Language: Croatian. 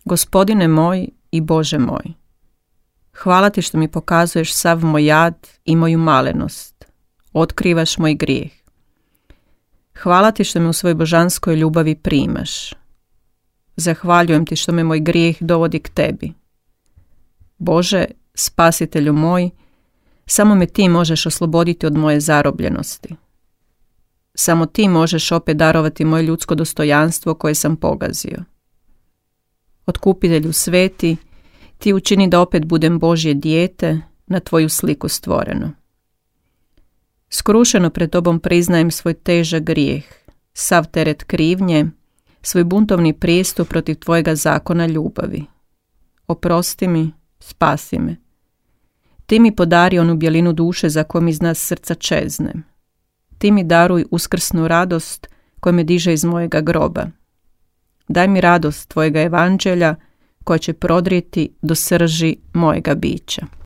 Gospodine moj i Bože moj, hvala ti što mi pokazuješ sav moj jad i moju malenost, otkrivaš moj grijeh. Hvala ti što me u svojoj božanskoj ljubavi primaš. Zahvaljujem ti što me moj grijeh dovodi k tebi. Bože, spasitelju moj, samo me ti možeš osloboditi od moje zarobljenosti. Samo ti možeš opet darovati moje ljudsko dostojanstvo koje sam pogazio. Otkupitelju sveti, ti učini da opet budem Božje dijete, na tvoju sliku stvoreno. Skrušeno pred tobom priznajem svoj težak grijeh, sav teret krivnje, svoj buntovni prijestup protiv tvojega zakona ljubavi. Oprosti mi, spasi me. Ti mi podari onu bjelinu duše za kojom iz nas srca čezne. Ti mi daruj uskrsnu radost koja me diže iz mojega groba. Daj mi radost tvojega evanđelja koja će prodrijeti do srži mojega bića.